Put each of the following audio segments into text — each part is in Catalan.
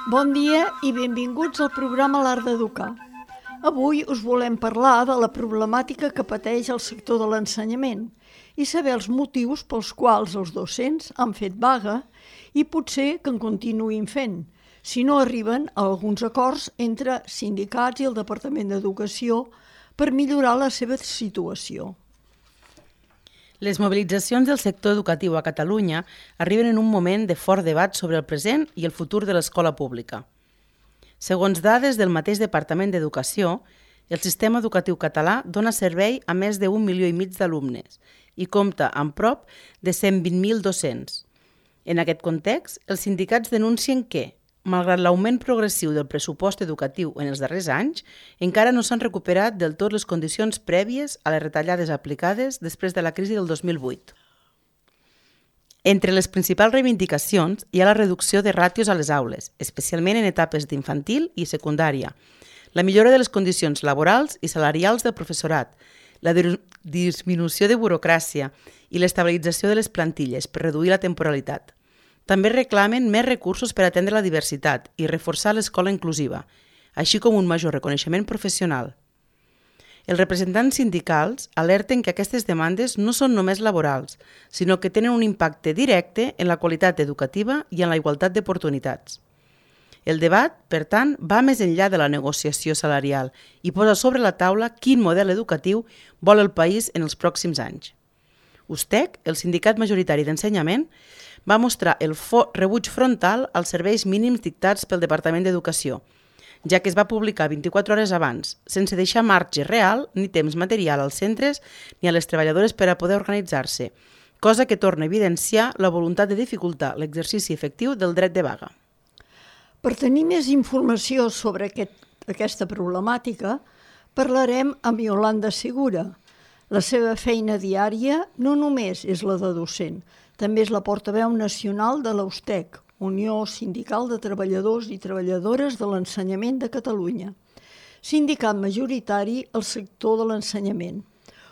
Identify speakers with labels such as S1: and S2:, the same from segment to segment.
S1: Bon dia i benvinguts al programa L'Art d'Educar. Avui us volem parlar de la problemàtica que pateix el sector de l'ensenyament i saber els motius pels quals els docents han fet vaga i potser que en continuïn fent, si no arriben a alguns acords entre sindicats i el Departament d'Educació per millorar la seva situació.
S2: Les mobilitzacions del sector educatiu a Catalunya arriben en un moment de fort debat sobre el present i el futur de l'escola pública. Segons dades del mateix Departament d'Educació, el sistema educatiu català dona servei a més de 1,5 milions d'alumnes i compta amb prop de 120.000 docents. En aquest context, els sindicats denuncien que, malgrat l'augment progressiu del pressupost educatiu en els darrers anys, encara no s'han recuperat del tot les condicions prèvies a les retallades aplicades després de la crisi del 2008. Entre les principals reivindicacions hi ha la reducció de ràtios a les aules, especialment en etapes d'infantil i secundària, la millora de les condicions laborals i salarials del professorat, la disminució de burocràcia i l'estabilització de les plantilles per reduir la temporalitat. També reclamen més recursos per atendre la diversitat i reforçar l'escola inclusiva, així com un major reconeixement professional. Els representants sindicals alerten que aquestes demandes no són només laborals, sinó que tenen un impacte directe en la qualitat educativa i en la igualtat d'oportunitats. El debat, per tant, va més enllà de la negociació salarial i posa sobre la taula quin model educatiu vol el país en els pròxims anys. USTEC, el sindicat majoritari d'ensenyament, va mostrar el rebuig frontal als serveis mínims dictats pel Departament d'Educació, ja que es va publicar 24 hores abans, sense deixar marge real ni temps material als centres ni a les treballadores per a poder organitzar-se, cosa que torna a evidenciar la voluntat de dificultar l'exercici efectiu del dret de vaga.
S1: Per tenir més informació sobre aquesta problemàtica, parlarem amb Yolanda Segura. La seva feina diària no només és la de docent, també és la portaveu nacional de la USTEC, Unió Sindical de Treballadors i Treballadores de l'Ensenyament de Catalunya, sindicat majoritari al sector de l'ensenyament,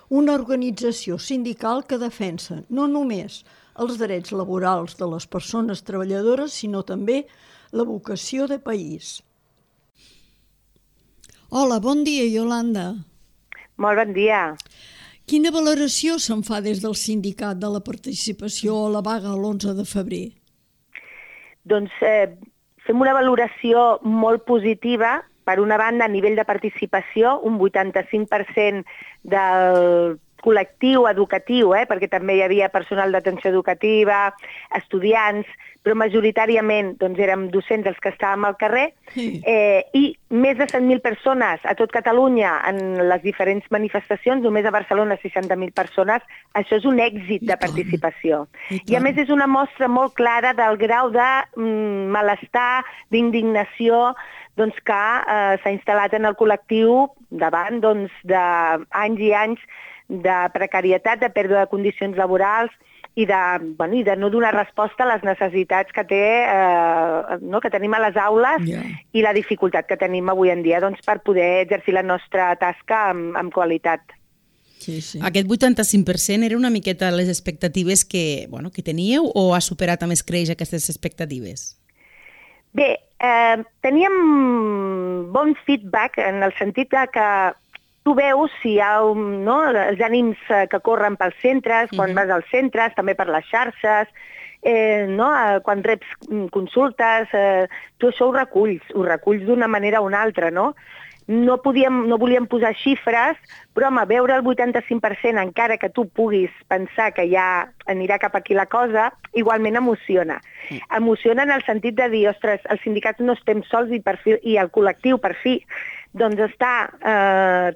S1: una organització sindical que defensa no només els drets laborals de les persones treballadores, sinó també la vocació de país. Hola, bon dia, Yolanda.
S3: Molt bon dia.
S1: Quina valoració se'n fa des del sindicat de la participació a la vaga l'11 de febrer?
S3: Doncs fem una valoració molt positiva. Per una banda, a nivell de participació, un 85% del col·lectiu educatiu, perquè també hi havia personal d'atenció educativa, estudiants, però majoritàriament érem docents els que estàvem al carrer, i més de 100.000 persones a tot Catalunya en les diferents manifestacions, només a Barcelona 60.000 persones, això és un èxit de participació. I a més és una mostra molt clara del grau de malestar, d'indignació, que s'ha instal·lat en el col·lectiu davant d'anys i anys de precarietat, de pèrdua de condicions laborals i de no donar resposta a les necessitats que tenim a les aules i la dificultat que tenim avui en dia per poder exercir la nostra tasca amb qualitat.
S2: Sí. Aquest 85% era una miqueta les expectatives que teníeu o ha superat amb escreix aquestes expectatives?
S3: Bé, teníem bon feedback en el sentit que tu veus si hi ha els ànims que corren pels centres, quan vas als centres, també per les xarxes, quan reps consultes, tu això ho reculls d'una manera o una altra, no? No volíem posar xifres, però veure el 85%, encara que tu puguis pensar que ja anirà cap aquí la cosa, igualment emociona. Emociona en el sentit de dir, ostres, els sindicats no estem sols i el col·lectiu, per fi, està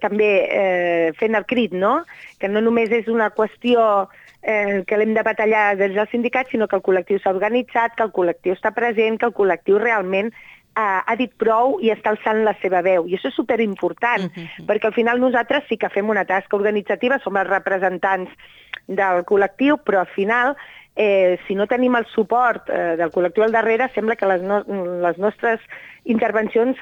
S3: també fent el crit, no? Que no només és una qüestió que l'hem de batallar des del sindicat, sinó que el col·lectiu s'ha organitzat, que el col·lectiu està present, que el col·lectiu realment ha dit prou i està alçant la seva veu. I això és superimportant, perquè al final nosaltres sí que fem una tasca organitzativa, som els representants del col·lectiu, però al final, si no tenim el suport del col·lectiu al darrere, sembla que les nostres intervencions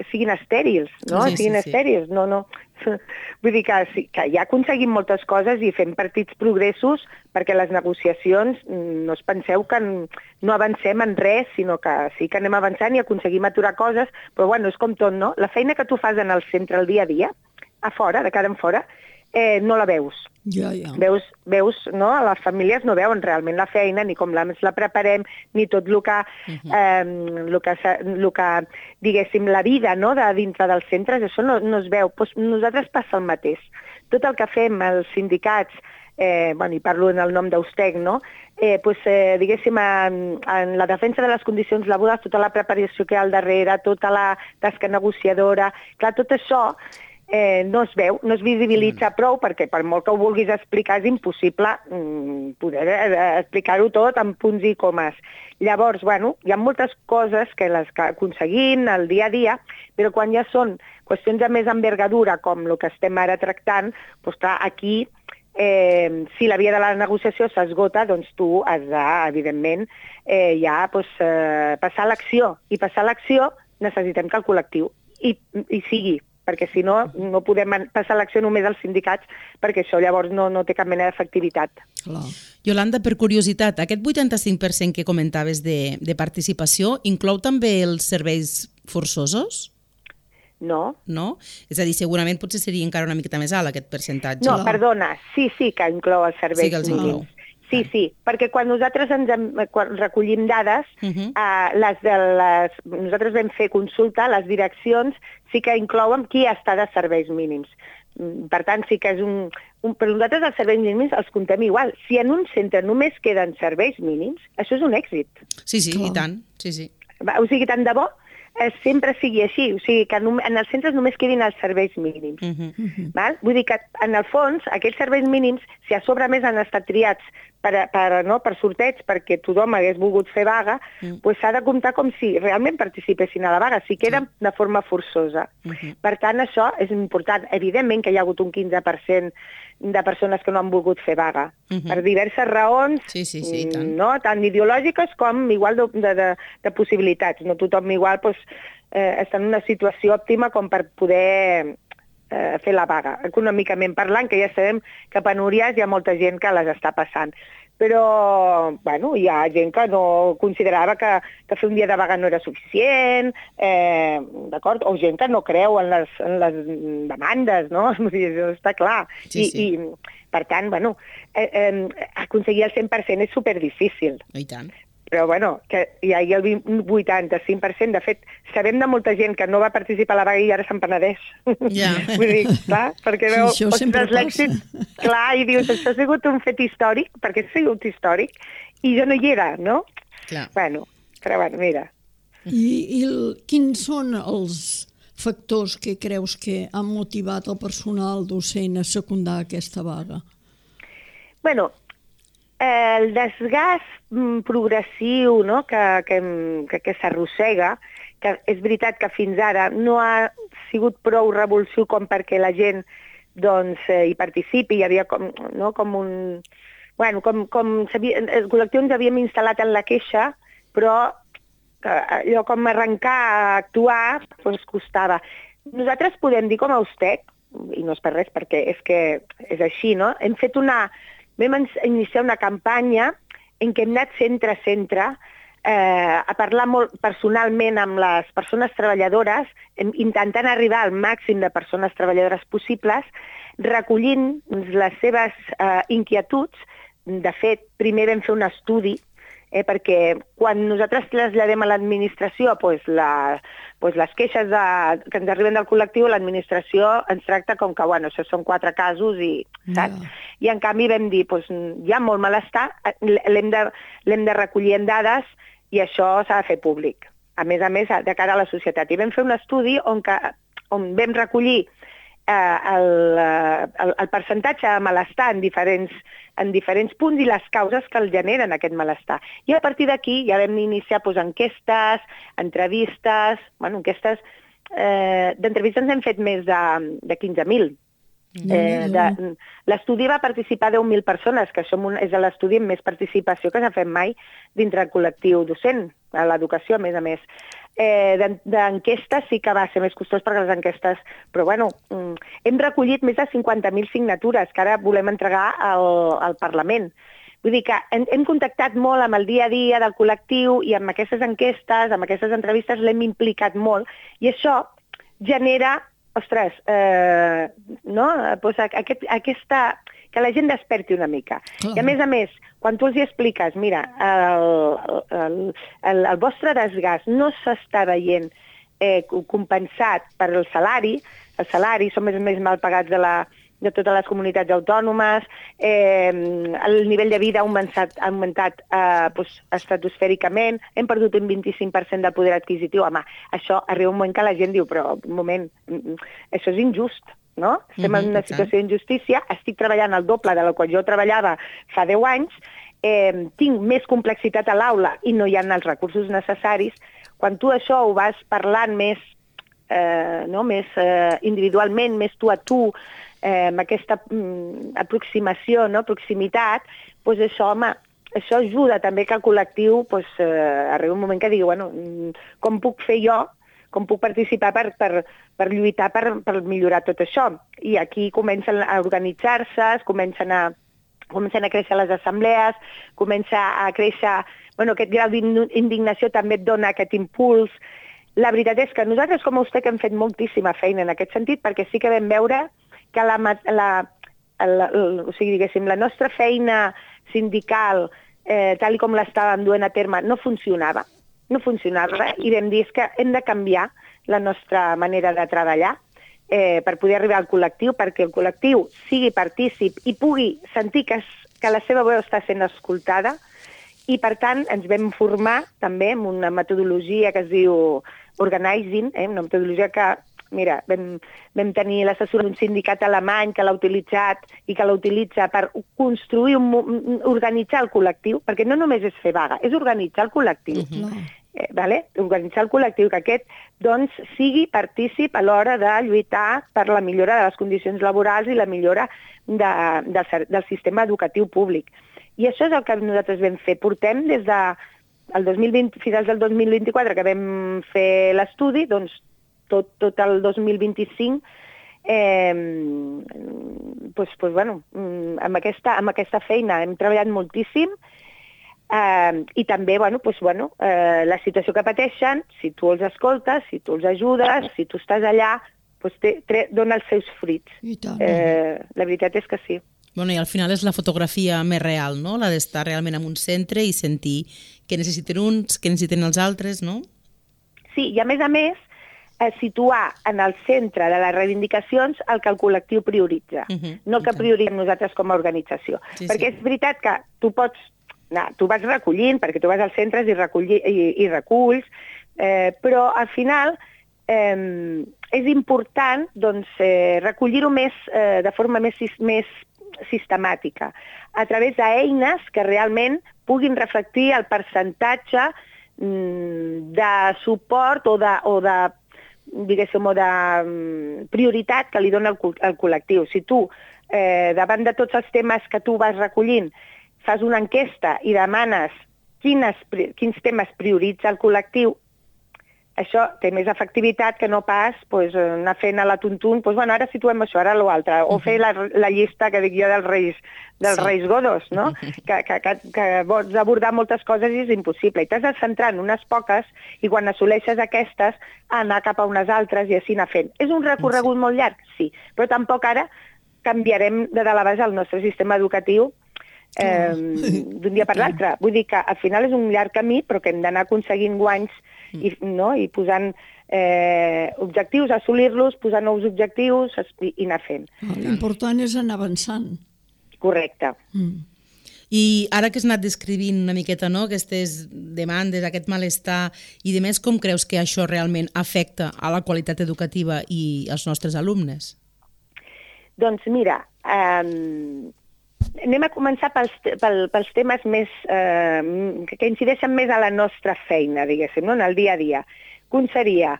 S3: siguin estèrils, no? Siguin estèrils, no. Vull dir que, sí, que ja aconseguim moltes coses i fem petits progressos perquè les negociacions, no us penseu que no avancem en res, sinó que sí que anem avançant i aconseguim aturar coses, però bueno, és com tot, no? La feina que tu fas en el centre el dia a dia, a fora, de cara en fora, no la veus.
S1: Ja.
S3: Veus, no? Les famílies no veuen realment la feina, ni com la preparem, ni tot el que diguéssim, la vida, no?, de dintre dels centres, això no es veu. Pues nosaltres passa el mateix. Tot el que fem els sindicats, i parlo en el nom d'Austec, no?, diguéssim, en la defensa de les condicions laborals, tota la preparació que hi ha al darrere, tota la tasca negociadora, clar, tot això no es veu, no es visibilitza prou, perquè per molt que ho vulguis explicar és impossible poder explicar-ho tot en punts i comes. Llavors, hi ha moltes coses que les que aconseguim al dia a dia, però quan ja són qüestions de més envergadura, com el que estem ara tractant, doncs clar, aquí, si la via de la negociació s'esgota, doncs tu has de, evidentment, passar a l'acció. I passar a l'acció necessitem que el col·lectiu hi sigui, perquè si no, no podem passar a l'acció només als sindicats, perquè això llavors no té cap mena d'efectivitat.
S2: Yolanda, per curiositat, aquest 85% que comentaves de participació inclou també els serveis forçosos?
S3: No.
S2: No? És a dir, segurament potser seria encara una miqueta més alt aquest percentatge.
S3: No, perdona, sí que inclou els serveis.
S2: Sí que els inclou.
S3: Sí, perquè quan nosaltres quan recollim dades, nosaltres vam fer consulta, les direccions sí que inclouen qui està de serveis mínims. Per tant, sí que és per nosaltres els serveis mínims els comptem igual. Si en un centre només queden serveis mínims, això és un èxit.
S2: Sí, i tant. Sí.
S3: O sigui, tant de bo sempre sigui així, o sigui, que en els centres només quedin els serveis mínims. Val? Vull dir que, en el fons, aquells serveis mínims, si a sobre més han estat triats per sorteig, perquè tothom hagués volgut fer vaga, doncs s'ha de comptar com si realment participessin a la vaga, si queden de forma forçosa. Per tant, això és important. Evidentment que hi ha hagut un 15% de persones que no han volgut fer vaga, per diverses raons, no? Tant ideològiques com igual de possibilitats. No tothom igual està en una situació òptima com per poder fer la vaga. Econòmicament parlant, que ja sabem que penúries hi ha molta gent que les està passant. Però, hi ha gent que no considerava que fer un dia de vaga no era suficient, d'acord? O gent que no creu en les demandes, no? Això està clar. I, per tant, aconseguir el 100% és superdifícil.
S2: I tant.
S3: Però, que hi hagi el 85%. De fet, sabem de molta gent que no va participar a la vaga i ara se'n penedeix.
S2: Ja.
S3: Vull dir, clar, perquè veu
S1: l'èxit.
S3: Clar, i dius, això ha sigut un fet històric, perquè ha sigut històric, i jo no hi era, no?
S2: Clar.
S3: Però mira.
S1: I quins són els factors que creus que han motivat el personal docent a secundar aquesta vaga?
S3: El desgast progressiu, no?, que s'arrossega, que és veritat que fins ara no ha sigut prou revulsiu com perquè la gent hi participi, hi havia com un... el col·lectiu ens havíem instal·lat en la queixa, però allò com arrencar a actuar costava. Nosaltres podem dir com a Austec, i no és per res perquè és que és així, no? Vam iniciar una campanya en què hem anat centre a centre a parlar molt personalment amb les persones treballadores, intentant arribar al màxim de persones treballadores possibles, recollint les seves inquietuds. De fet, primer vam fer un estudi, perquè quan nosaltres traslladem a l'administració les queixes que ens arriben del col·lectiu, l'administració ens tracta com que, això són 4 casos saps? I en canvi vam dir, hi ha molt malestar, l'hem de recollir en dades i això s'ha de fer públic. A més, de cara a la societat. I vam fer un estudi on vam recollir el percentatge de malestar en diferents punts i les causes que el generen aquest malestar. I a partir d'aquí ja vam iniciar enquestes, entrevistes, d'entrevistes n'hem fet més de 15.000. L'estudi va participar 10.000 persones, que això és l'estudi amb més participació que s'ha fet mai dintre el col·lectiu docent, a l'educació, a més. d'enquestes sí que va ser més costós perquè les enquestes... Però bueno, hem recollit més de 50.000 signatures que ara volem entregar al Parlament. Vull dir que hem contactat molt amb el dia a dia del col·lectiu i amb aquestes enquestes, amb aquestes entrevistes l'hem implicat molt i això genera, ostres, no? Pues aquesta... que la gent desperti una mica. I a més, quan tu els hi expliques, mira, el vostre desgast no s'està veient compensat per el salari som més mal pagats de totes les comunitats autònomes, el nivell de vida ha augmentat estratosfèricament, hem perdut un 25% del poder adquisitiu. Home, això arriba un moment que la gent diu, però un moment, això és injust. No? Estem en una situació d'injustícia, estic treballant el doble de la qual jo treballava fa 10 anys, tinc més complexitat a l'aula i no hi ha els recursos necessaris. Quan tu això ho vas parlant més individualment, més tu a tu, amb aquesta aproximació, proximitat, doncs això, home, això ajuda també que el col·lectiu arribi un moment que digui, bueno, com puc fer jo, com puc participar per lluitar per millorar tot això. I aquí comencen a organitzar-se, comencen a créixer les assemblees, comença a créixer... aquest grau d'indignació també et dona aquest impuls. La veritat és que nosaltres, com a USTEC, hem fet moltíssima feina en aquest sentit, perquè sí que vam veure que la nostra feina sindical, tal com l'estàvem duent a terme, no funcionava i vam dir que hem de canviar la nostra manera de treballar per poder arribar al col·lectiu, perquè el col·lectiu sigui partícip i pugui sentir que la seva veu està sent escoltada i, per tant, ens vam formar també amb una metodologia que es diu Organizing, una metodologia que, mira, vam tenir l'assessor d'un sindicat alemany que l'ha utilitzat i que l'utilitza per construir, organitzar el col·lectiu, perquè no només és fer vaga, és organitzar el col·lectiu. Organitzar el col·lectiu, que aquest sigui partícip a l'hora de lluitar per la millora de les condicions laborals i la millora del sistema educatiu públic. I això és el que nosaltres vam fer. Portem des del 2020 fins al 2024, que vam fer l'estudi, doncs tot el 2025 amb aquesta feina hem treballat moltíssim i també la situació que pateixen, si tu els escoltes, si tu els ajudes, si tu estàs allà, dona els seus fruits. La veritat és que sí.
S2: I al final és la fotografia més real, no? La d'estar realment en un centre i sentir què necessiten uns, què necessiten els altres, no?
S3: Sí, i a més, situar en el centre de les reivindicacions el que el col·lectiu prioritza, no el que prioritzem nosaltres com a organització. Perquè és veritat que tu vas recollint, perquè tu vas als centres i reculls, però al final és important recollir-ho de forma més sistemàtica, a través d'eines que realment puguin reflectir el percentatge de suport o de prioritat que li dona el col·lectiu. Si tu, davant de tots els temes que tu vas recollint, fas una enquesta i demanes quins temes prioritza el col·lectiu, això té més efectivitat que no pas anar fent a la tuntun, ara situem això, ara l'altre, o fer la llista que dic jo dels reis godos, no? Que vols abordar moltes coses i és impossible. I t'has de centrar en unes poques i quan assoleixes aquestes anar cap a unes altres i així anar fent. És un recorregut molt llarg? Sí, però tampoc ara canviarem de dalt a baix el nostre sistema educatiu d'un dia per l'altre. Vull dir que al final és un llarg camí, però que hem d'anar aconseguint guanys i posant objectius, assolir-los, posar nous objectius i anar fent.
S1: L'important és anar avançant.
S3: Correcte.
S2: I ara que has anat descrivint una miqueta aquestes demandes, aquest malestar i de més, com creus que això realment afecta a la qualitat educativa i als nostres alumnes?
S3: Doncs mira, anem a començar pels temes més que incideixen més a la nostra feina, diguéssim, en el dia a dia. Un seria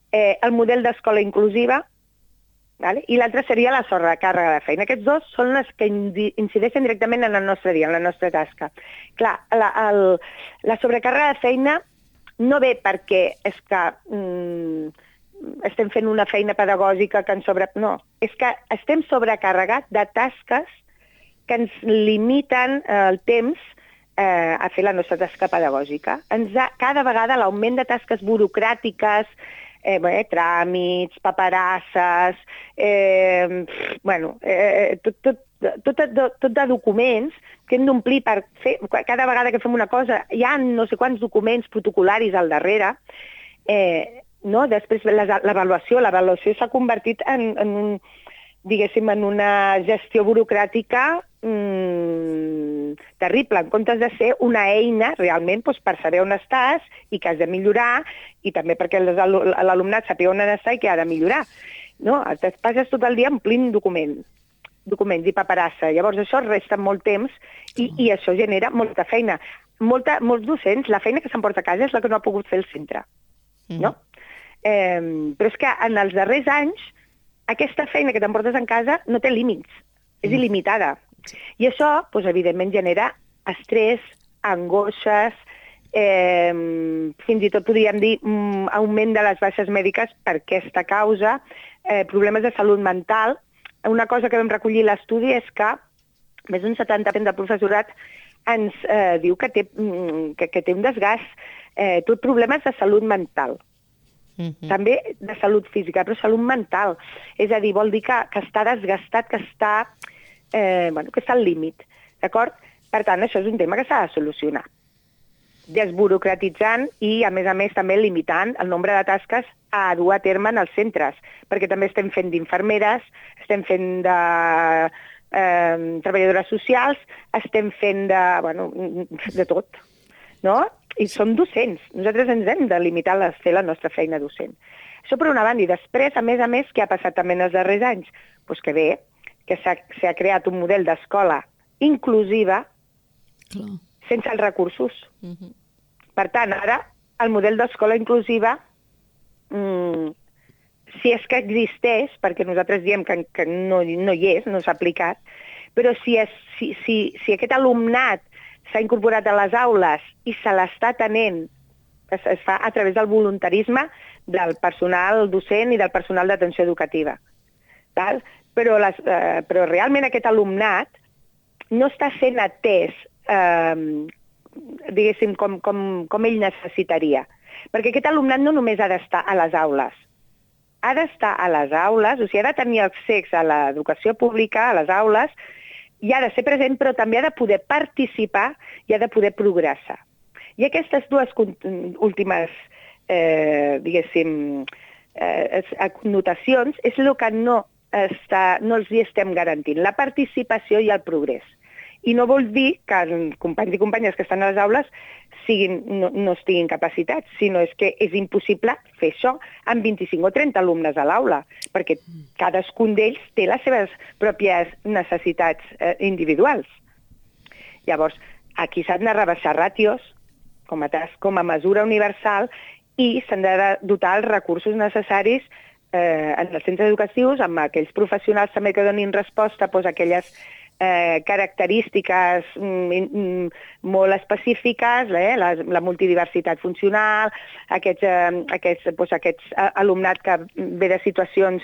S3: el model d'escola inclusiva i l'altre seria la sobrecàrrega de feina. Aquests dos són els que incideixen directament en el nostre dia, en la nostra tasca. Clar, la sobrecàrrega de feina no ve perquè és que estem fent una feina pedagògica que ens No, és que estem sobrecarregats de tasques que ens limiten el temps a fer la nostra tasca pedagògica. Cada vegada l'augment de tasques burocràtiques, tràmits, paperasses, tot de documents que hem d'omplir per fer. Cada vegada que fem una cosa hi ha no sé quants documents protocolaris al darrere. Després l'avaluació s'ha convertit en una gestió burocràtica terrible, en comptes de ser una eina realment per saber on estàs i que has de millorar, i també perquè l'alumnat sàpiga on està i què ha de millorar. Et passes tot el dia omplint documents i paperassa. Llavors això resta molt temps i això genera molta feina. Molts docents, la feina que s'emporta a casa és la que no ha pogut fer el centre. No? Però és que en els darrers anys aquesta feina que t'emportes en casa no té límits, és il·limitada. I això, evidentment, genera estrès, angoixes, fins i tot podríem dir augment de les baixes mèdiques per aquesta causa, problemes de salut mental. Una cosa que vam recollir a l'estudi és que més d'un 70% del professorat ens diu que té un desgast, tot problemes de salut mental. També de salut física, però salut mental. És a dir, vol dir que està desgastat, que està al límit. D'acord? Per tant, això és un tema que s'ha de solucionar. Desburocratitzant i, a més, també limitant el nombre de tasques a dur a terme en els centres, perquè també estem fent d'infermeres, estem fent de treballadores socials, estem fent de tot, no? I som docents. Nosaltres ens hem de limitar a fer la nostra feina docent. Això per una banda. I després, a més, què ha passat també en els darrers anys? Doncs que bé, que s'ha creat un model d'escola inclusiva sense els recursos. Per tant, ara, el model d'escola inclusiva, si és que existeix, perquè nosaltres diem que no hi és, no s'ha aplicat, però si aquest alumnat s'ha incorporat a les aules i se l'està atenent, es fa a través del voluntarisme del personal docent i del personal d'atenció educativa. Però realment aquest alumnat no està sent atès, diguéssim, com ell necessitaria. Perquè aquest alumnat no només ha d'estar a les aules. Ha d'estar a les aules, o sigui, ha de tenir accés a l'educació pública, a les aules, i ha de ser present, però també ha de poder participar i ha de poder progressar. I aquestes dues últimes, diguéssim, connotacions és el que no els hi estem garantint, la participació i el progrés. I no vol dir que els companys i companyes que estan a les aules no estiguin capacitats, sinó que és impossible fer això amb 25 o 30 alumnes a l'aula, perquè cadascun d'ells té les seves pròpies necessitats individuals. Llavors, aquí s'han de rebaixar ràtios com a mesura universal i s'han de dotar els recursos necessaris en els centres educatius, amb aquells professionals també que donin resposta a aquelles característiques molt específiques, la multidiversitat funcional, aquest alumnat que ve de situacions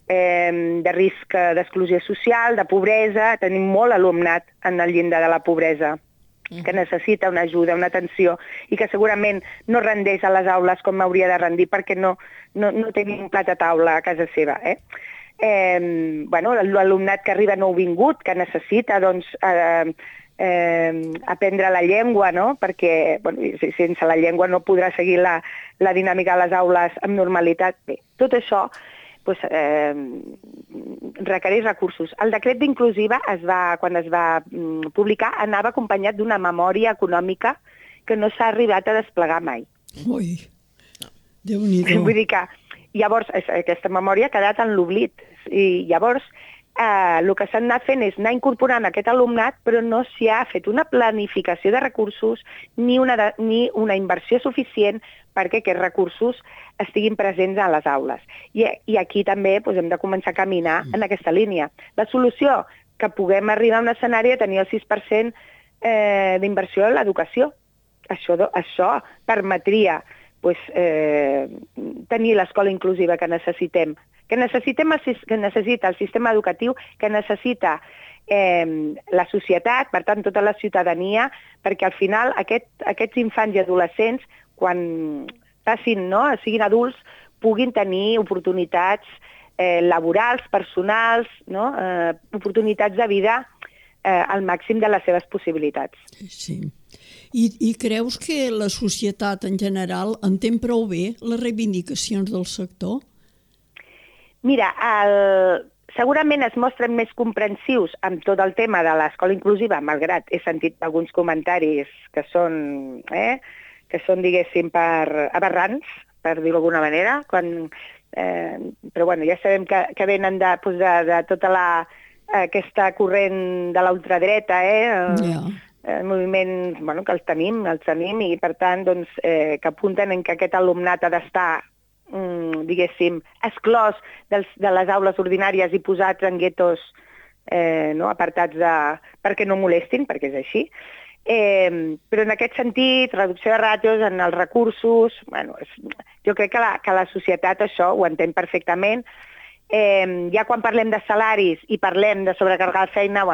S3: de risc d'exclusió social, de pobresa. Tenim molt alumnat en el llindar de la pobresa que necessita una ajuda, una atenció, i que segurament no rendeix a les aules com hauria de rendir perquè no tenim un plat a taula a casa seva. L'alumnat que arriba nouvingut, que necessita aprendre la llengua, perquè sense la llengua no podrà seguir la dinàmica de les aules amb normalitat. Bé, tot això requereix recursos. El decret d'inclusiva, quan es va publicar, anava acompanyat d'una memòria econòmica que no s'ha arribat a desplegar mai.
S1: Ui, Déu-n'hi-do.
S3: Vull dir que llavors aquesta memòria ha quedat en l'oblit. I llavors el que s'ha anat fent és anar incorporant aquest alumnat, però no s'hi ha fet una planificació de recursos ni una inversió suficient perquè aquests recursos estiguin presents a les aules. I aquí també hem de començar a caminar en aquesta línia. La solució, que puguem arribar a un escenari de tenir el 6% d'inversió en l'educació. Això permetria tenir l'escola inclusiva que necessitem, que necessita el sistema educatiu, que necessita la societat, per tant, tota la ciutadania, perquè al final aquests infants i adolescents, quan passin, siguin adults, puguin tenir oportunitats laborals, personals, oportunitats de vida al màxim de les seves possibilitats.
S1: Sí. I creus que la societat en general entén prou bé les reivindicacions del sector?
S3: Mira, segurament es mostren més comprensius amb tot el tema de l'escola inclusiva, malgrat he sentit alguns comentaris que són, diguéssim, aberrants, per dir-ho d'alguna manera, però bueno, ja sabem que venen de tota aquesta corrent de l'ultradreta, el moviment que els tenim, i per tant que apunten en que aquest alumnat ha d'estar, diguéssim, exclòs de les aules ordinàries i posats en guetos apartats perquè no molestin, perquè és així. Però en aquest sentit, reducció de ràtios en els recursos, jo crec que la societat això ho entén perfectament. Ja quan parlem de salaris i parlem de sobrecarregar la feina,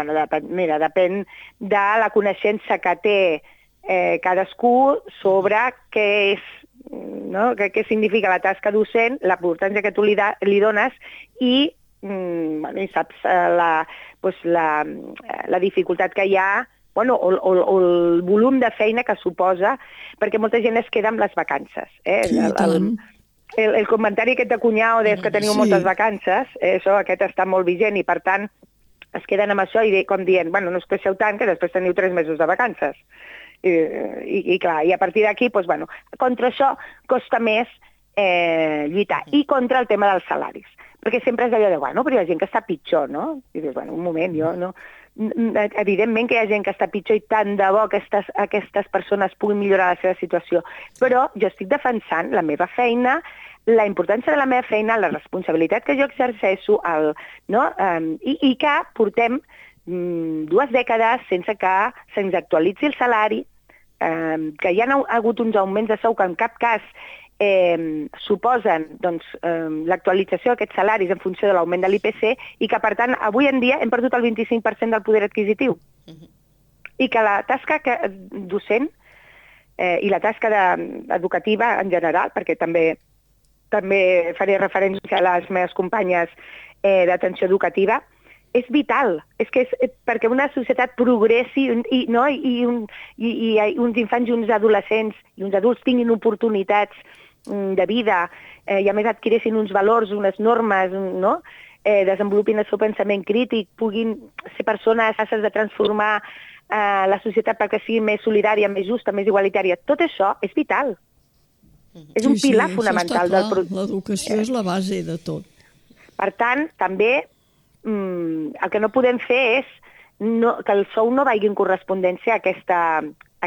S3: depèn de la coneixença que té cadascú sobre què significa la tasca docent, l'importància que tu li dones i saps la dificultat que hi ha o el volum de feina que suposa, perquè molta gent es queda amb les vacances. El comentari aquest de cunyau que teniu moltes vacances, aquest està molt vigent i per tant es queden amb això i com dient, no us queixeu tant que després teniu 3 mesos de vacances. I clar, i a partir d'aquí, contra això costa més lluitar. I contra el tema dels salaris. Perquè sempre és allò de, però hi ha gent que està pitjor, no? I dius, un moment, evidentment que hi ha gent que està pitjor i tant de bo que aquestes persones puguin millorar la seva situació, però jo estic defensant la meva feina, la importància de la meva feina, la responsabilitat que jo exerceixo, i que portem 2 dècades sense que se'ns actualitzi el salari, que hi ha hagut uns augments de sou que en cap cas suposen l'actualització d'aquests salaris en funció de l'augment de l'IPC i que, per tant, avui en dia hem perdut el 25% del poder adquisitiu. I que la tasca docent i la tasca educativa en general, perquè també faré referència a les meves companyes d'atenció educativa, és vital. És que perquè una societat progressi i uns infants i uns adolescents i uns adults tinguin oportunitats de vida i a més adquirissin uns valors, unes normes, desenvolupin el seu pensament crític, puguin ser persones capaces de transformar la societat perquè sigui més solidària, més justa, més igualitària. Tot això és vital. És un pilar fonamental del procés.
S1: L'educació és la base de tot.
S3: Per tant, també el que no podem fer és que el sou no vagi en correspondència a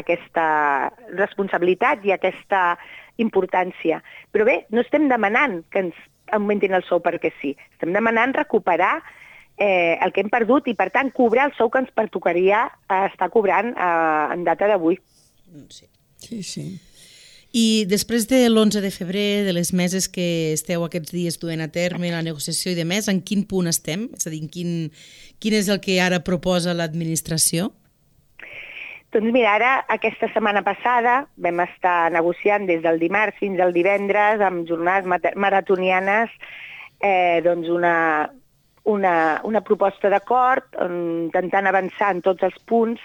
S3: aquesta responsabilitat i a aquesta importància. Però bé, no estem demanant que ens augmentin el sou perquè sí. Estem demanant recuperar el que hem perdut i, per tant, cobrar el sou que ens pertocaria estar cobrant en data d'avui.
S1: Sí.
S2: I després de l'11 de febrer, de les meses que esteu aquests dies duent a terme, la negociació i demés, en quin punt estem? És a dir, quin és el que ara proposa l'administració?
S3: Doncs mira, ara, aquesta setmana passada, vam estar negociant des del dimarts fins al divendres amb jornades maratonianes una proposta d'acord, intentant avançar en tots els punts.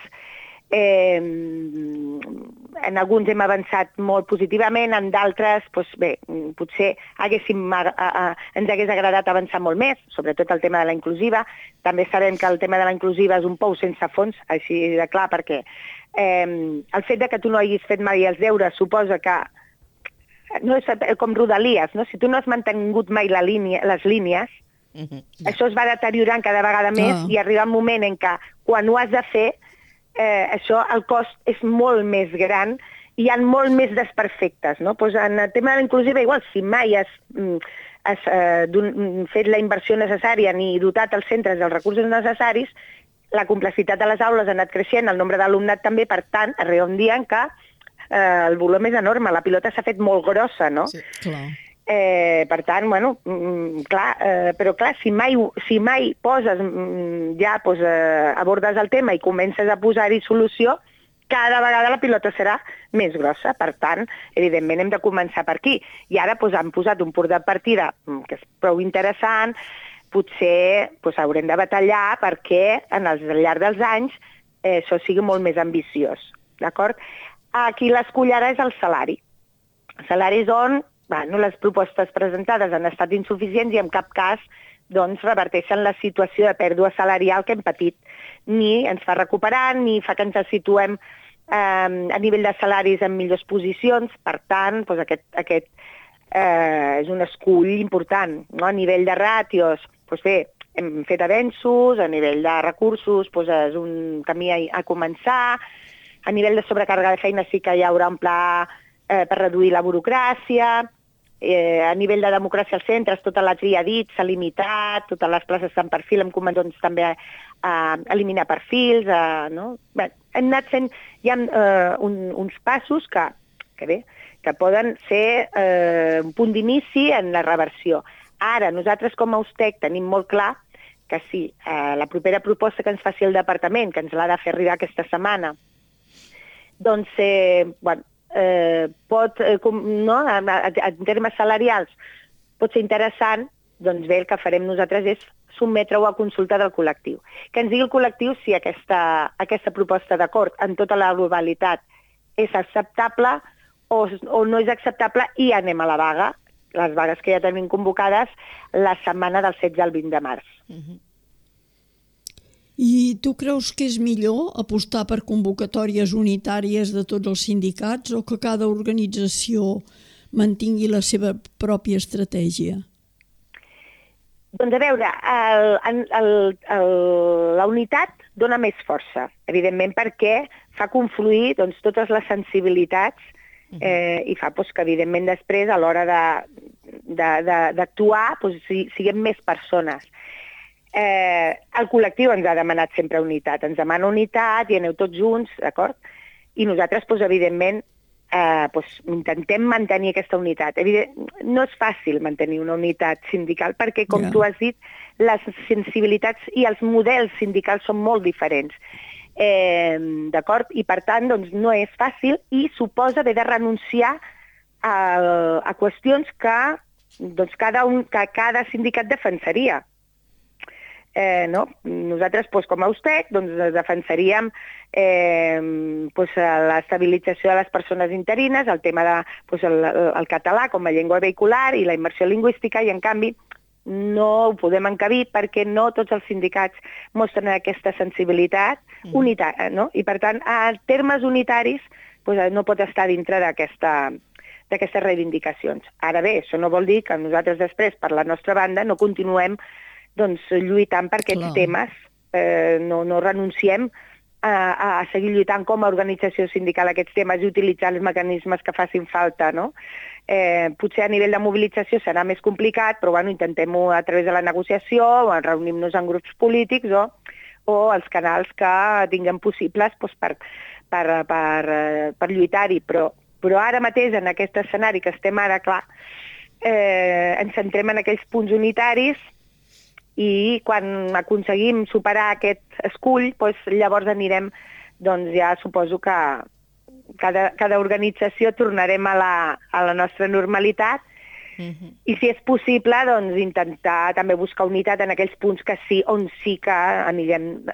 S3: En alguns hem avançat molt positivament, en d'altres, potser ens hagués agradat avançar molt més, sobretot el tema de la inclusiva. També sabem que el tema de la inclusiva és un pou sense fons, així de clar, perquè el fet que tu no hagis fet mai els deures suposa que no és com Rodalies, no? Si tu no has mantingut mai les línies, això es va deteriorant cada vegada més i arriba un moment en què quan ho has de fer el cost és molt més gran i hi ha molt més desperfectes. En el tema de la inclusiva, igual, si mai has fet la inversió necessària ni dotat els centres dels recursos necessaris, la complexitat de les aules ha anat creixent, el nombre d'alumnat també, per tant, arriba un dia en què el volum és enorme, la pilota s'ha fet molt grossa, no?
S2: Sí,
S1: clar.
S3: Per tant, bueno, però clar, si mai poses, abordes el tema i comences a posar-hi solució, cada vegada la pilota serà més grossa. Per tant, evidentment hem de començar per aquí. I ara han posat un punt de partida que és prou interessant, potser haurem de batallar perquè al llarg dels anys això sigui molt més ambiciós. D'acord? Aquí l'escull ara és el salari. El salari és on les propostes presentades han estat insuficients i en cap cas reverteixen la situació de pèrdua salarial que hem patit. Ni ens fa recuperar, ni fa que ens situem a nivell de salaris en millors posicions. Per tant, aquest és un escull important. A nivell de ràtios, hem fet avenços, a nivell de recursos és un camí a començar, a nivell de sobrecàrrega de feina sí que hi haurà un pla per reduir la burocràcia, a nivell de democràcia als centres, tota la tria dit s'ha limitat, totes les places en perfil hem començat també a eliminar perfils. Hem anat fent uns passos que poden ser un punt d'inici en la reversió. Ara, nosaltres com a USTEC tenim molt clar que sí, la propera proposta que ens faci el departament, que ens l'ha de fer arribar aquesta setmana, en termes salarials pot ser interessant, el que farem nosaltres és sotmetre-ho a consulta del col·lectiu. Que ens digui el col·lectiu si aquesta proposta d'acord en tota la globalitat és acceptable o no és acceptable i anem a la vaga, les vagues que ja tenim convocades la setmana del 16 al 20 de març.
S1: I tu creus que és millor apostar per convocatòries unitàries de tots els sindicats o que cada organització mantingui la seva pròpia estratègia?
S3: Doncs a veure, la unitat dona més força, evidentment perquè fa confluir totes les sensibilitats i fa que evidentment després a l'hora d'actuar siguem més persones. El col·lectiu ens ha demanat sempre unitat, ens demana unitat i aneu tots junts, d'acord? I nosaltres, evidentment, intentem mantenir aquesta unitat. No és fàcil mantenir una unitat sindical perquè, com tu has dit, les sensibilitats i els models sindicals són molt diferents. D'acord? I per tant, no és fàcil i suposa haver de renunciar a qüestions que cada sindicat defensaria. Nosaltres, com a USTEC, defensaríem l'estabilització de les persones interines, el tema del català com a llengua vehicular i la immersió lingüística, i en canvi no ho podem encabir perquè no tots els sindicats mostren aquesta sensibilitat unitària, no? I per tant, a termes unitaris no pot estar dintre d'aquestes reivindicacions. Ara bé, això no vol dir que nosaltres després, per la nostra banda, no continuem lluitant per aquests temes, no renunciem a seguir lluitant com a organització sindical aquests temes i utilitzar els mecanismes que facin falta, no? Potser a nivell de mobilització serà més complicat, però intentem-ho a través de la negociació, o reunir-nos en grups polítics o els canals que tinguem possibles per lluitar-hi. Però ara mateix, en aquest escenari que estem ara, clar, ens centrem en aquells punts unitaris i quan aconseguim superar aquest escull, llavors anirem, ja suposo que cada organització tornarem a la nostra normalitat i si és possible intentar també buscar unitat en aquells punts on sí que anirem,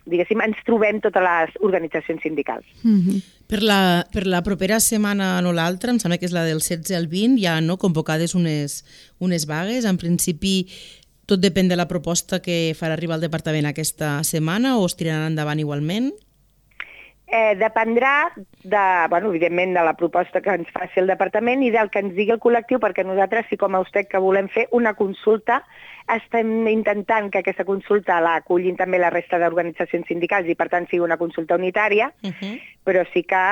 S3: diguéssim, ens trobem totes les organitzacions sindicals.
S2: Per la propera setmana, no l'altra, em sembla que és la del 16 al 20, hi ha convocades unes vagues. En principi, tot depèn de la proposta que farà arribar el departament aquesta setmana o es tiraran endavant igualment?
S3: Dependrà, evidentment, de la proposta que ens faci el departament i del que ens digui el col·lectiu, perquè nosaltres, sí com a USTEC, que volem fer una consulta, estem intentant que aquesta consulta la acullin també la resta d'organitzacions sindicals i, per tant, sigui una consulta unitària, però sí que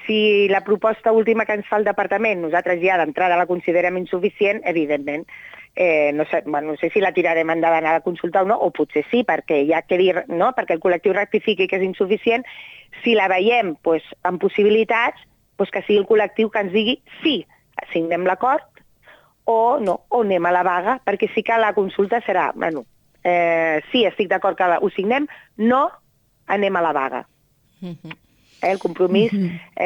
S3: si la proposta última que ens fa el departament nosaltres ja d'entrada la considerem insuficient, evidentment no sé si la tirarem endavant a la consulta o no, o potser sí, perquè ja quedi, no? Perquè el col·lectiu rectifiqui que és insuficient. Si la veiem amb possibilitats, que sigui el col·lectiu que ens digui sí, signem l'acord o no, o anem a la vaga, perquè sí que la consulta serà, sí, estic d'acord que ho signem, no, anem a la vaga. El compromís,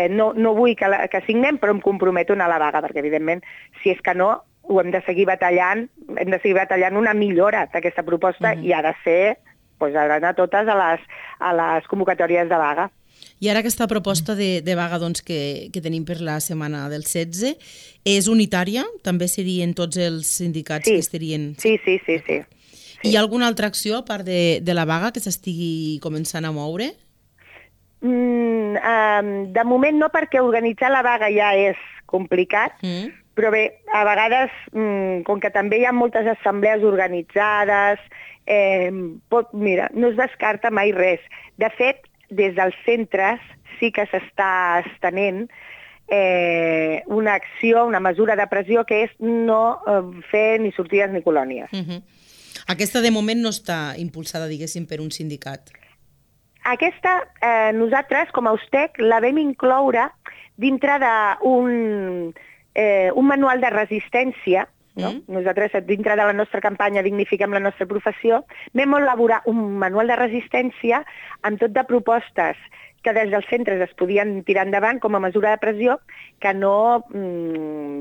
S3: no vull que signem, però em comprometo a anar a la vaga, perquè evidentment, si és que no, ho hem de seguir batallant, una millora d'aquesta proposta i ha de ser, ha d'anar totes a les convocatòries de vaga.
S2: I ara aquesta proposta de vaga que tenim per la setmana del 16 és unitària? També serien tots els sindicats que estarien...
S3: Sí.
S2: Hi ha alguna altra acció, a part de la vaga, que s'estigui començant a moure?
S3: De moment no, perquè organitzar la vaga ja és complicat, però bé, a vegades, com que també hi ha moltes assemblees organitzades, mira, no es descarta mai res. De fet, des dels centres sí que s'està estenent una acció, una mesura de pressió que és no fer ni sortides ni colònies.
S2: Aquesta de moment no està impulsada, diguéssim, per un sindicat.
S3: Aquesta, nosaltres, com a USTEC, la vam incloure dintre d'un manual de resistència. Nosaltres, dintre de la nostra campanya Dignifiquem la nostra professió, vam elaborar un manual de resistència amb tot de propostes que des dels centres es podien tirar endavant com a mesura de pressió, que no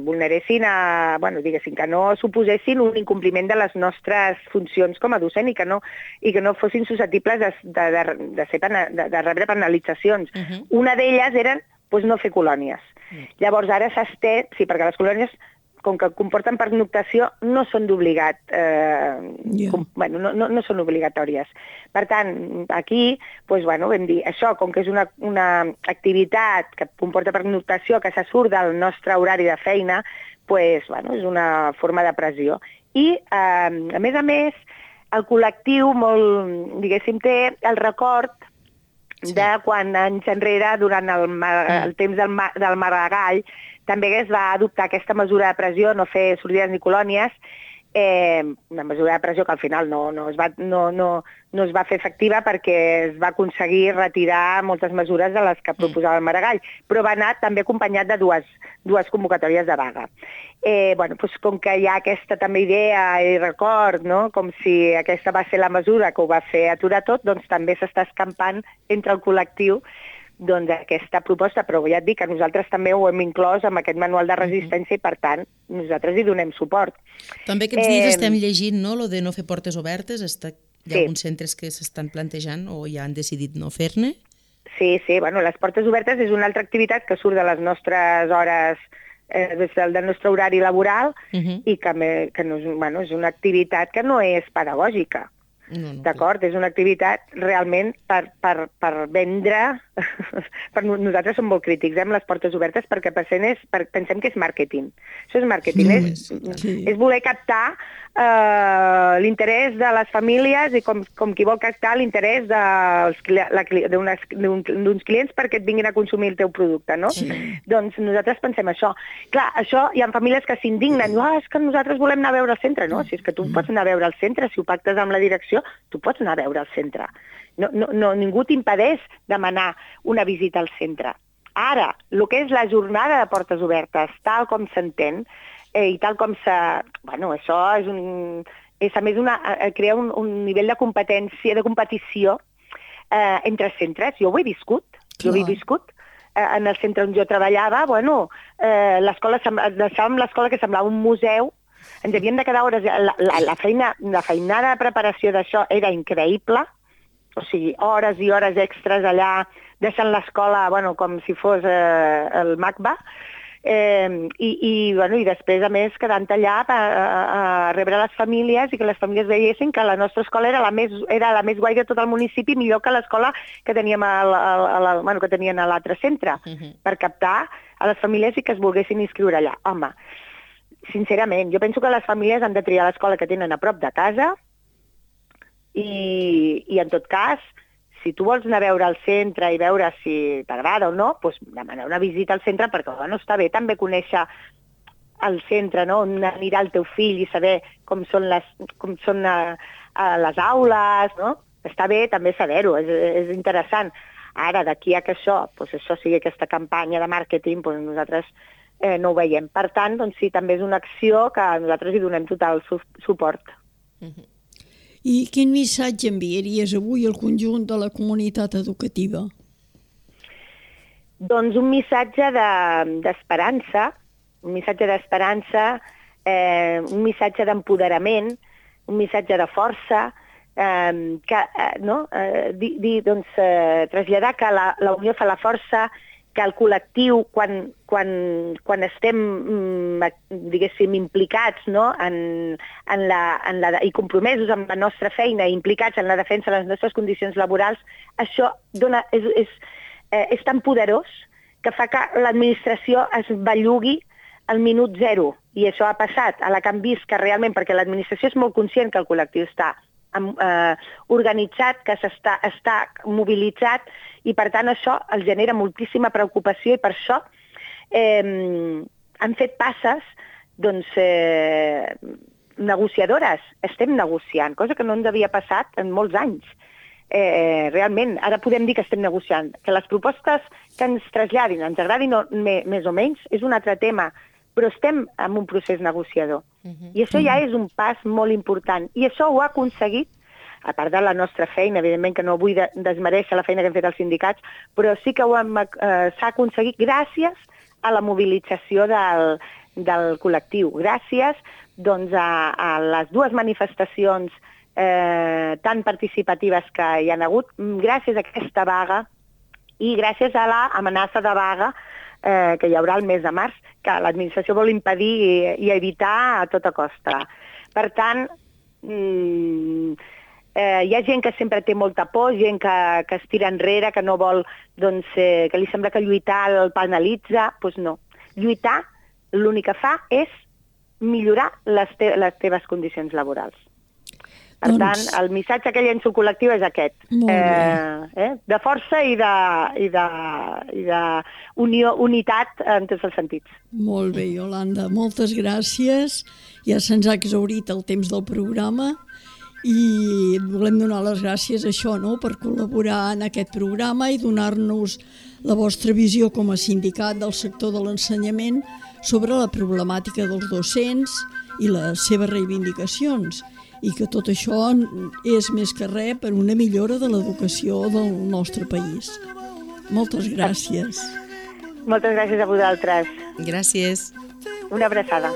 S3: vulneressin, que no suposessin un incompliment de les nostres funcions com a docent i que no fossin susceptibles de rebre penalitzacions. Una d'elles era no fer colònies. Llavors ara s'estén, sí, perquè les colònies, com que comporten pernoctació, no són d'obligat, no són obligatòries. Per tant, aquí, vam dir, això, com que és una activitat que comporta pernoctació, que se surt del nostre horari de feina, és una forma de pressió. I, a més, el col·lectiu, diguéssim, té el record de quan anys enrere, durant el temps del Maragall, també es va adoptar aquesta mesura de pressió, no fer sortides ni colònies, una mesura de pressió que al final no es va fer efectiva perquè es va aconseguir retirar moltes mesures de les que proposava el Maragall, però va anar també acompanyat de dues convocatòries de vaga. Com que hi ha aquesta també idea i record, com si aquesta va ser la mesura que ho va fer aturar tot, doncs també s'està escampant entre el col·lectiu aquesta proposta, però ja et dic que nosaltres també ho hem inclòs amb aquest manual de resistència i, per tant, nosaltres hi donem suport.
S2: També aquests dies estem llegint, no?, lo de no fer portes obertes. Hi ha alguns centres que s'estan plantejant o ja han decidit no fer-ne?
S3: Sí, les portes obertes és una altra activitat que surt de les nostres hores, del nostre horari laboral i que és una activitat que no és pedagògica. D'acord? És una activitat realment per vendre. Nosaltres som molt crítics amb les portes obertes perquè pensem que és màrqueting. Això és màrqueting, és voler captar l'interès de les famílies i com qui vol captar l'interès d'uns clients perquè et vinguin a consumir el teu producte, no? Doncs nosaltres pensem això. Clar, això hi ha famílies que s'indignen, diuen, és que nosaltres volem anar a veure el centre, no? Si és que tu pots anar a veure el centre, si ho pactes amb la direcció, tu pots anar a veure el centre. Ningú t'impedeix demanar una visita al centre. Ara, el que és la jornada de portes obertes, tal com s'entén, i tal com això és a més crear un nivell de competició entre centres. Jo ho he viscut. En el centre on jo treballava, deixàvem l'escola que semblava un museu. Ens havien de quedar hores. La feinada de preparació d'això era increïble, o sigui, hores i hores extres allà, deixant l'escola com si fos el MACBA, i després, a més, quedant allà a rebre les famílies i que les famílies veiessin que la nostra escola era la més guai de tot el municipi, millor que l'escola que teníem que tenien a l'altre centre, per captar a les famílies i que es volguessin inscriure allà. Home, sincerament, jo penso que les famílies han de triar l'escola que tenen a prop de casa i en tot cas, si tu vols anar a veure el centre i veure si t'agrada o no, doncs demanar una visita al centre perquè està bé també conèixer al centre, no? On anirà el teu fill i saber com són les aules, no? Està bé també saber-ho, és interessant. Ara, d'aquí a que això sigui aquesta campanya de màrqueting, nosaltres no ho veiem. Per tant, sí, també és una acció que nosaltres hi donem total suport.
S1: I quin missatge enviaries avui al conjunt de la comunitat educativa?
S3: Doncs un missatge d'esperança, un missatge d'empoderament, un missatge de força, traslladar que la unió fa la força, que el col·lectiu, quan estem, diguéssim, implicats, no? I compromesos amb la nostra feina, implicats en la defensa de les nostres condicions laborals, això és tan poderós que fa que l'administració es bellugui al minut zero. I això ha passat a la que han vist que realment, perquè l'administració és molt conscient que el col·lectiu està organitzat, que està mobilitzat, i per tant això els genera moltíssima preocupació, i per això han fet passes negociadores. Estem negociant, cosa que no ens havia passat en molts anys. Realment, ara podem dir que estem negociant. Que les propostes que ens traslladin, ens agradin més o menys, és un altre tema, però estem en un procés negociador. I això ja és un pas molt important. I això ho ha aconseguit, a part de la nostra feina, evidentment que no vull desmereixer la feina que hem fet els sindicats, però sí que s'ha aconseguit gràcies a la mobilització del col·lectiu, gràcies a les dues manifestacions tan participatives que hi ha hagut, gràcies a aquesta vaga i gràcies a l'amenaça de vaga que hi haurà el mes de març, que l'administració vol impedir i evitar a tota costa. Per tant, hi ha gent que sempre té molta por, gent que es tira enrere, que no vol, que li sembla que lluitar el penalitza. Doncs no. Lluitar l'únic que fa és millorar les teves condicions laborals. Per tant, el missatge que llenço col·lectiu és aquest, de força i d'unitat en tots els sentits.
S1: Molt bé, Iolanda, moltes gràcies. Ja se'ns ha exhaurit el temps del programa i volem donar les gràcies a això, per col·laborar en aquest programa i donar-nos la vostra visió com a sindicat del sector de l'ensenyament sobre la problemàtica dels docents i les seves reivindicacions, i que tot això és més que res per una millora de l'educació del nostre país. Moltes gràcies.
S3: Moltes gràcies a vosaltres.
S2: Gràcies.
S3: Una abraçada.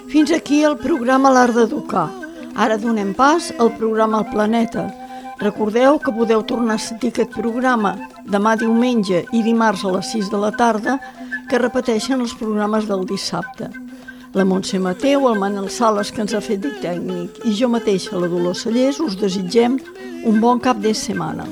S1: Fins aquí el programa L'Art d'Educar. Ara donem pas al programa El Planeta. Recordeu que podeu tornar a sentir aquest programa demà diumenge i dimarts a les 6 de la tarda, que repeteixen els programes del dissabte. La Montse Mateu, el Manel Sales, que ens ha fet de tècnic, i jo mateixa, la Dolors Cellers, us desitgem un bon cap de setmana.